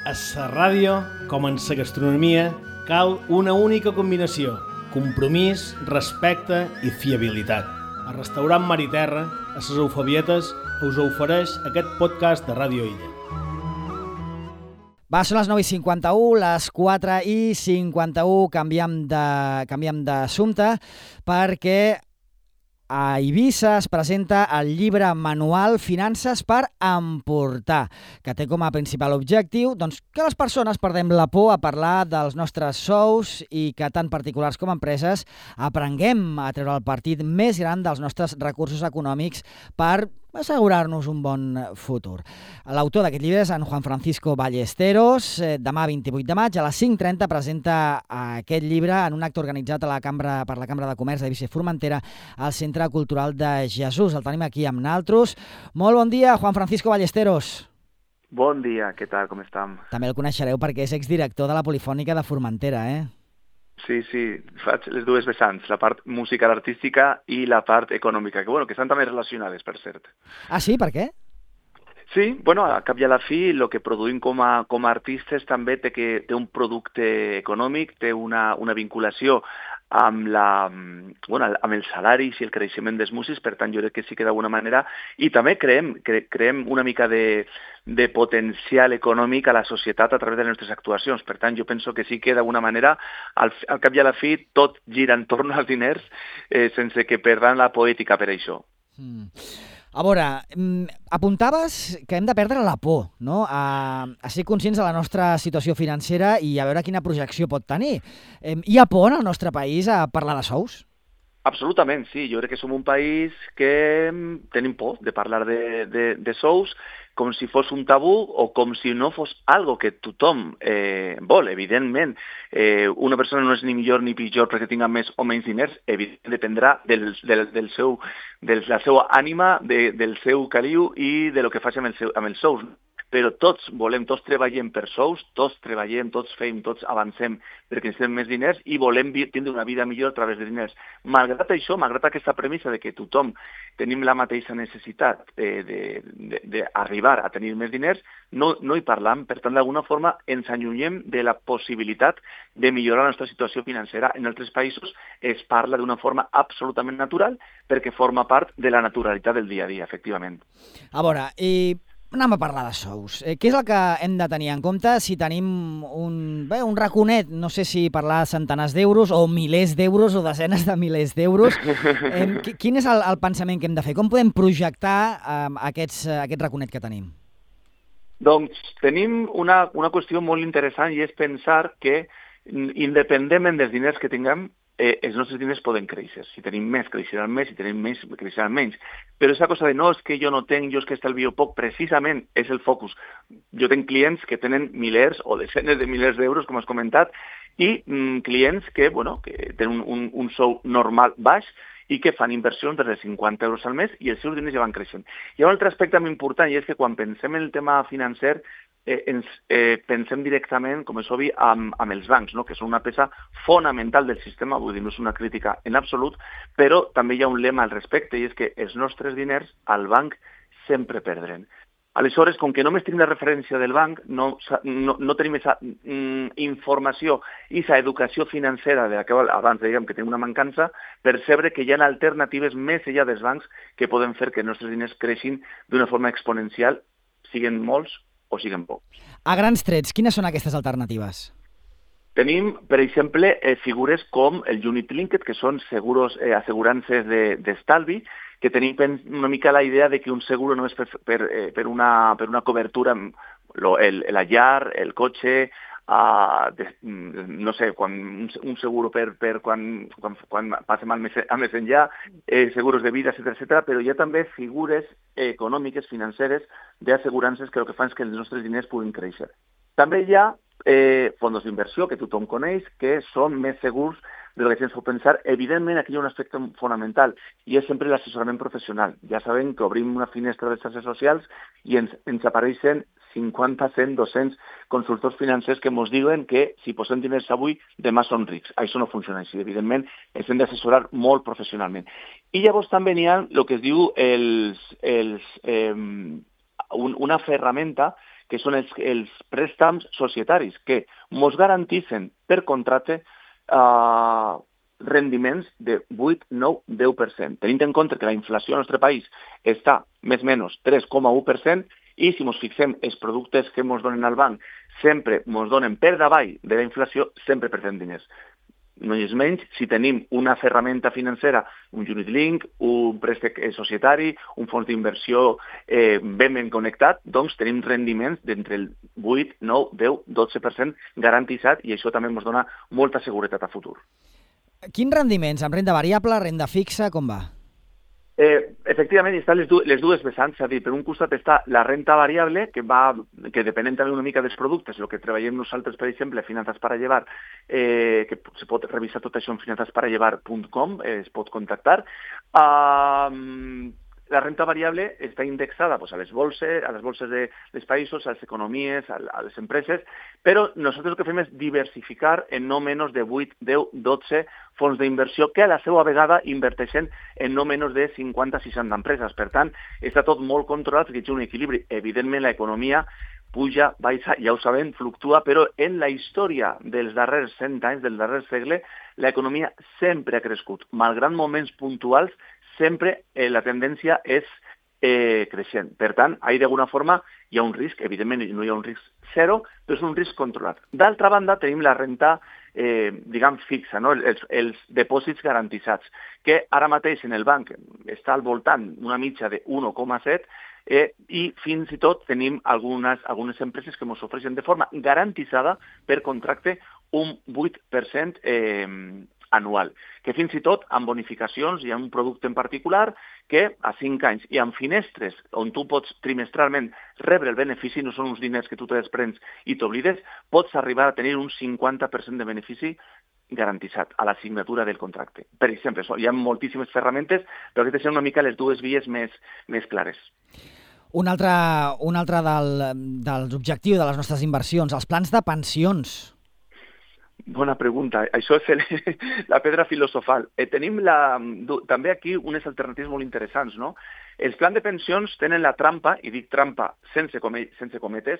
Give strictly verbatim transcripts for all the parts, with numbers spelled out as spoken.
A la ràdio, com en la gastronomia, cal una única combinació: compromís, respecte i fiabilitat. El restaurant Mar i Terra, a les Eufabietes, us ofereix aquest podcast de Ràdio Illa. Va, són les nou i cinquanta-u, les quatre i cinquanta-u, canviem de, canviem d'assumpte, perquè a Eivissa es presenta el llibre manual Finances per emportar, que té com a principal objectiu doncs, que les persones perdem la por a parlar dels nostres sous i que tant particulars com empreses aprenguem a treure el partit més gran dels nostres recursos econòmics per assegurar-nos un bon futur. L'autor d'aquest llibre és en Juan Francisco Ballesteros. Demà, vint-i-vuit de maig, a les cinc trenta, presenta aquest llibre en un acte organitzat a la Cambra, per la Cambra de Comerç d'Eivissa i Formentera al Centre Cultural de Jesús. El tenim aquí amb naltros. Molt bon dia, Juan Francisco Ballesteros. Bon dia, què tal, com estem? També el coneixereu perquè és exdirector de la Polifònica de Formentera, eh? Sí, sí, faig les dues vessants, la part musical artística i la part econòmica, que, bueno, que estan també relacionades, per cert. Ah, sí? Per què? Sí, bueno, a cap i a la fi, el que produïm com a, com a artistes també té, que, té un producte econòmic, té una, una vinculació amb, la, bueno, amb els salaris i el creixement dels músics, per tant jo crec que sí que d'alguna manera, i també creem, cre, creem una mica de, de potencial econòmic a la societat a través de les nostres actuacions. Per tant, jo penso que sí que d'alguna manera, al, al cap i a la fi, tot gira entorn als diners eh, sense que perdran la poètica per això. Mm. A veure, apuntaves que hem de perdre la por, no? A, a ser conscients de la nostra situació financera i a veure quina projecció pot tenir. Hi ha por en el nostre país a parlar de sous? Absolutament, sí. Jo crec que som un país que tenim por de parlar de, de, de sous com si fos un tabú o com si no fos algo que tothom eh, vol. Evidentment, eh, una persona no és ni millor ni pitjor perquè tinga més o menys diners, evidentment dependrà del, del, del seu, de la seva ànima, de, del seu caliu i de lo que faci amb, el seu, amb els sous. Però tots volem, tots treballem per sous, tots treballem, tots fem, tots avancem perquè necessitem més diners i volem tindre una vida millor a través de diners. Malgrat això, malgrat aquesta premissa de que tothom tenim la mateixa necessitat d'arribar a tenir més diners, no, no hi parlam. Per tant, d'alguna forma ens allunyem de la possibilitat de millorar la nostra situació financera. En altres països es parla d'una forma absolutament natural perquè forma part de la naturalitat del dia a dia, efectivament. A veure, i... anem a parlar de sous. Eh, què és el que hem de tenir en compte si tenim un, bé, un raconet, no sé si parlar de centenars d'euros o milers d'euros o desenes de milers d'euros? Eh, quin és el, el pensament que hem de fer? Com podem projectar eh, aquests, aquest raconet que tenim? Doncs tenim una, una qüestió molt interessant i és pensar que independentment dels diners que tinguem, Eh, els nostres diners poden créixer. Si tenim més, creixeran més, si tenim més, creixeran menys. Però aquesta cosa de no, és que jo no tenc, jo és que estalvio poc, precisament és el focus. Jo tenc clients que tenen milers o desenes de milers d'euros, com has comentat, i mm, clients que, bueno, que tenen un, un, un sou normal baix i que fan inversions de cinquanta euros al mes i els seus diners ja van creixent. Hi ha un altre aspecte molt important i és que quan pensem en el tema financer Eh, ens eh, pensem directament, com és obvi, amb, amb els bancs, no? Que són una peça fonamental del sistema, vull dir, no és una crítica en absolut, però també hi ha un lema al respecte, i és que els nostres diners al banc sempre perdren. Aleshores, com que només tenim la referència del banc, no, no, no tenim aquesta mm, informació i aquesta educació financera de la que abans dèiem que tenim una mancança, percebre que hi ha alternatives més enllà dels bancs que poden fer que els nostres diners creixin d'una forma exponencial, siguen molts o siguen pocs. A grans trets, quines són aquestes alternatives? Tenim, per exemple, eh, figures com el Unit Linked, que són seguros, eh, assegurances d'estalvi, de, que tenim una mica la idea de que un seguro no és per, per, eh, per, una, per una cobertura, lo, el, la llar, el cotxe, uh, de, no sé, quan, un, un seguro per, per quan, quan, quan passem al més, al més enllà, eh, seguros de vida, etcètera, etcètera, però hi ha també figures econòmiques, financeres, d'assegurances que el que fan és que els nostres diners puguin créixer. També hi ha eh, fons d'inversió, que tothom coneix, que són més segurs de lo que ens pot pensar. Evidentment, aquí hi ha un aspecte fonamental, i és sempre l'assessorament professional. Ja sabem que obrim una finestra de xarxes socials i ens, ens apareixen cinquanta, cent, dos-cents consultors financers que ens diuen que si posem diners avui, demà són rics. Això no funciona així. Evidentment, ens hem d'assessorar molt professionalment. I llavors també n'hi ha el que es diu els, els, eh, un, una ferramenta que són els, els préstams societaris, que ens garantitzen per contracte eh, rendiments de vuit, nou, deu per cent. Tenint en compte que la inflació al nostre país està més o menys tres coma u per cent i si ens fixem els productes que ens donen al banc sempre ens donen per davall de la inflació, sempre perdem diners. No és menys si tenim una ferramenta financera, un unit link, un préstec societari, un fons d'inversió eh, ben ben connectat, doncs tenim rendiments d'entre el vuit, nou, deu, dotze per cent garantitzat i això també ens dona molta seguretat a futur. Quins rendiments? Amb renda variable, renda fixa, com va? Eh, efectivament, estan les, du les dues vessants, és a dir, per un costat està la renta variable, que va, que depenent també una mica dels productes, el que treballem nosaltres, per exemple, Finanzas para Llevar, eh, que se pot revisar tot això en finanzas para llevar punt com, eh, es pot contactar. Uh, la renta variable està indexada pues, a les bolses, a les bolses de les països, a les economies, a, a les empreses, però nosaltres el que fem és diversificar en no menys de vuit, deu, dotze fons d'inversió que a la seva vegada inverteixen en no menys de cinquanta a seixanta empreses. Per tant, està tot molt controlat perquè hi ha un equilibri. Evidentment, l'economia puja, baixa, ja ho sabem, fluctua, però en la història dels darrers cent anys, del darrer segle, l'economia sempre ha crescut. Malgrat moments puntuals, sempre eh, la tendència és eh, creixent. Per tant, ahí d'alguna forma hi ha un risc, evidentment no hi ha un risc zero, però és un risc controlat. D'altra banda, tenim la renta, eh, diguem, fixa, no? els, els depòsits garantitzats, que ara mateix en el banc està al voltant una mitja de un coma set eh, i fins i tot tenim algunes, algunes empreses que ens ofereixen de forma garantitzada per contracte un vuit per cent eh, anual, que fins i tot amb bonificacions hi ha un producte en particular que a cinc anys i amb finestres on tu pots trimestralment rebre el benefici, no són uns diners que tu te desprens i t'oblides, pots arribar a tenir un cinquanta per cent de benefici garantitzat a la signatura del contracte. Per exemple, hi ha moltíssimes ferramentes, però aquestes són una mica les dues vies més, més clares. Un altre, un altre del, dels objectius de les nostres inversions, els plans de pensions. Bona pregunta. Això és el, la pedra filosofal. Eh, tenim la, també aquí unes alternatives molt interessants, no? Els plans de pensions tenen la trampa, i dic trampa sense, come, sense cometes,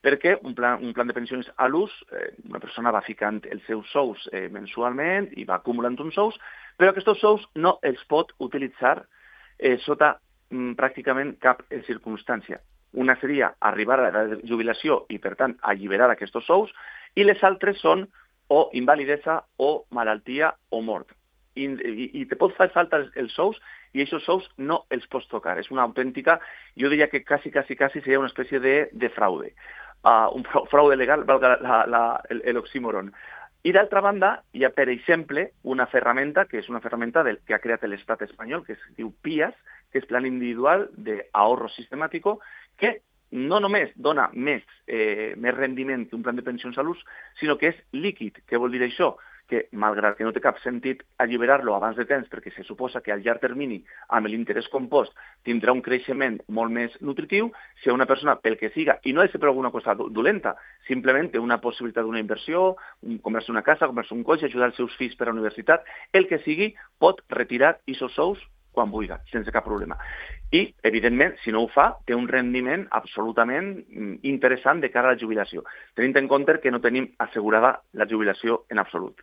perquè un plan, un plan de pensions a l'ús, eh, una persona va ficant els seus sous eh, mensualment i va acumulant uns sous, però aquests sous no els pot utilitzar eh, sota mm, pràcticament cap circumstància. Una seria arribar a l'edat de jubilació i, per tant, alliberar aquests sous, i les altres són o invalidesa, o malaltia, o mort. I, i, i te pot fer falta els, els sous i aquests sous no els pots tocar. És una autèntica, jo diria que quasi, quasi, quasi seria una espècie de, de fraude. Uh, un fraude legal, valga l'oxímoron. I d'altra banda, hi ha, per exemple, una ferramenta, que és una ferramenta del, que ha creat l'estat espanyol, que es diu P I A S, que és Plan Individual de Ahorro Sistemático, que no només dona més, eh, més rendiment que un plan de pensions a l'ús, sinó que és líquid. Què vol dir això? Que, malgrat que no té cap sentit alliberar-lo abans de temps, perquè se suposa que al llarg termini, amb l'interès compost, tindrà un creixement molt més nutritiu, si una persona, pel que siga, i no ha de ser per alguna cosa dolenta, simplement té una possibilitat d'una inversió, comprar-se una casa, comprar-se un cotxe, ajudar els seus fills per a la universitat, el que sigui, pot retirar aquests sous quan vulgui, sense cap problema. I, evidentment, si no ho fa, té un rendiment absolutament interessant de cara a la jubilació, tenint en compte que no tenim assegurada la jubilació en absolut.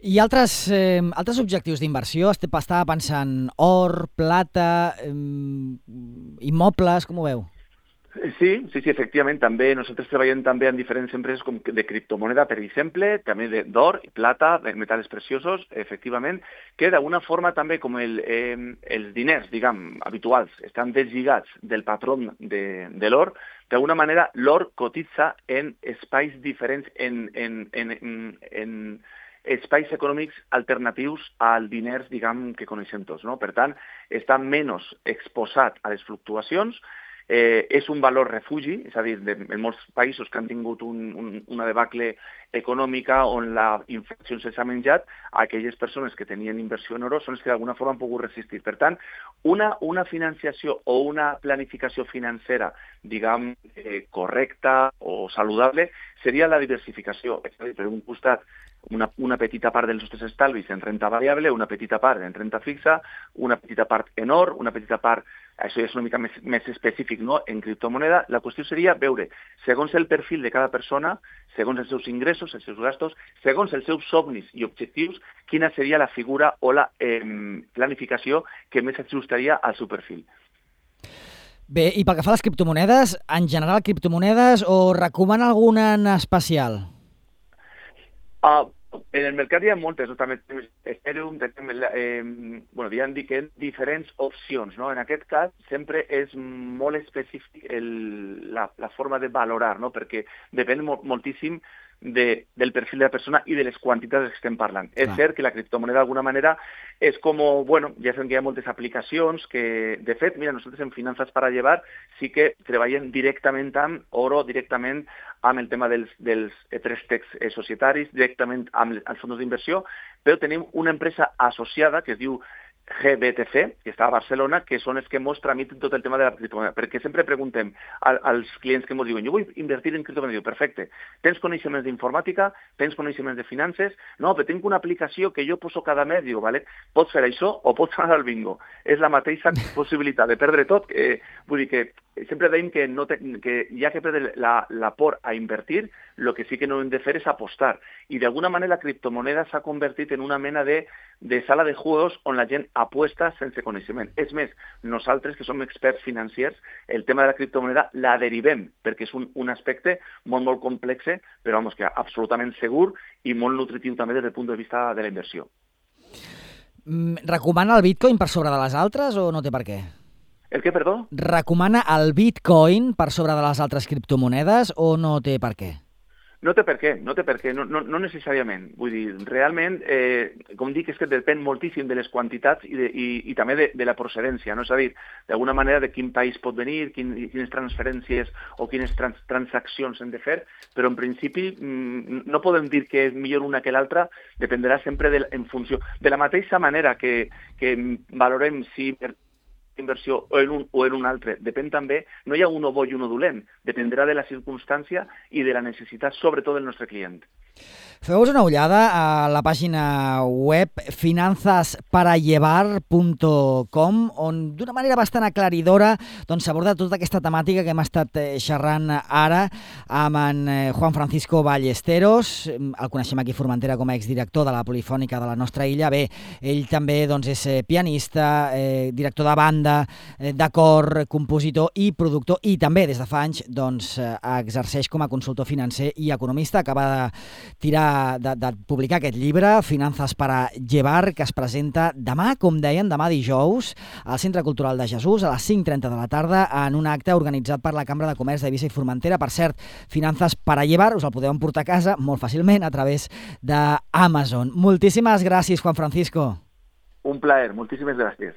I altres, eh, altres objectius d'inversió? Estava pensant or, plata, eh, immobles, com ho veu? Sí, sí, sí, efectivament, també nosaltres treballem també en diferents empreses com de criptomoneda, per exemple, també d'or, plata, metals preciosos, efectivament, que d'alguna forma també com el, eh, els diners, diguem, habituals, estan deslligats del patró de, de l'or, d'alguna manera l'or cotitza en espais diferents, en, en, en, en, en espais econòmics alternatius als diners, diguem, que coneixem tots, no? Per tant, està menys exposat a les fluctuacions. Eh, és un valor refugi, és a dir, de, en molts països que han tingut un, un, una debacle econòmica on la inflació s'ha menjat, aquelles persones que tenien inversió en oro són les que d'alguna forma han pogut resistir. Per tant, una, una financiació o una planificació financera, diguem, eh, correcta o saludable, seria la diversificació. És a dir, per un costat, una, una petita part dels nostres estalvis en renta variable, una petita part en renta fixa, una petita part en or, una petita part, això ja és una mica més, més específic, no?, en criptomoneda. La qüestió seria veure, segons el perfil de cada persona, segons els seus ingressos, els seus gastos, segons els seus somnis i objectius, quina seria la figura o la eh, planificació que més ajustaria al seu perfil. Bé, i pel que fa a les criptomonedes, en general criptomonedes o recomana alguna en especial? Uh, en el mercat hi ha moltes, no? També Ethereum, eh, bueno, hi ha diferents opcions, no? En aquest cas sempre és molt específic el, la, la forma de valorar, no? Perquè depèn molt, moltíssim de, del perfil de la persona i de les quantitats que estem parlant. Clar. És cert que la criptomoneda d'alguna manera és com, bueno, ja sabem que hi ha moltes aplicacions que, de fet, mira, nosaltres en Finanzas para Llevar sí que treballem directament amb oro, directament amb el tema dels, dels préstecs eh, societaris, directament amb els fons d'inversió, però tenim una empresa associada que es diu G B T C, que està a Barcelona, que són els que ens tramiten tot el tema de la criptomoneda, perquè sempre preguntem als clients que ens diuen, jo vull invertir en criptomoneda, perfecte, tens coneixements d'informàtica, tens coneixements de finances, no, però tinc una aplicació que jo poso cada mes, digo, vale, pots fer això o pots anar al bingo. És la mateixa possibilitat de perdre tot, eh, vull dir que sempre deim que, no te, que ja que perdre la, la por a invertir, el que sí que no hem de fer és apostar. I d'alguna manera la criptomoneda s'ha convertit en una mena de, de sala de juegos on la gent apuesta sense coneixement. És més, nosaltres que som experts financiers, el tema de la criptomoneda la derivem, perquè és un, un aspecte molt, molt complex, però vamos, que absolutament segur i molt nutritiu també des del punt de vista de la inversió. Recomana el Bitcoin per sobre de les altres o no té per què? El què, perdó? Recomana el Bitcoin per sobre de les altres criptomonedes o no té per què? No té per què, no té per què, no, no, no necessàriament. Vull dir, realment, eh, com dic, és que depèn moltíssim de les quantitats i, de, i, i també de, de la procedència, no? És a dir, d'alguna manera de quin país pot venir, quin, quines transferències o quines trans, transaccions hem de fer, però en principi no podem dir que és millor una que l'altra, dependrà sempre de, en funció. De la mateixa manera que, que valorem si inversió o en un o en un altre, depèn també, no hi ha uno bo i uno dolent, dependrà de la circumstància i de la necessitat, sobretot del nostre client. Feu-vos una ullada a la pàgina web finanzas para llevar punt com, on d'una manera bastant aclaridora doncs, s'aborda tota aquesta temàtica que hem estat xerrant ara amb en Juan Francisco Ballesteros. El coneixem aquí a Formentera com a exdirector de la Polifònica de la nostra illa. Bé, ell també doncs, és pianista, eh, director de banda, eh, de cor, compositor i productor, i també des de fa anys doncs, exerceix com a consultor financer i economista. Acaba de tirar De, de publicar aquest llibre, Finanzas para Llevar, que es presenta demà, com deien, demà dijous, al Centre Cultural de Jesús, a les cinc trenta de la tarda, en un acte organitzat per la Cambra de Comerç d'Eivissa i Formentera. Per cert, Finanzas para Llevar, us el podeu emportar a casa molt fàcilment a través d'Amazon. Moltíssimes gràcies, Juan Francisco. Un plaer, moltíssimes gràcies.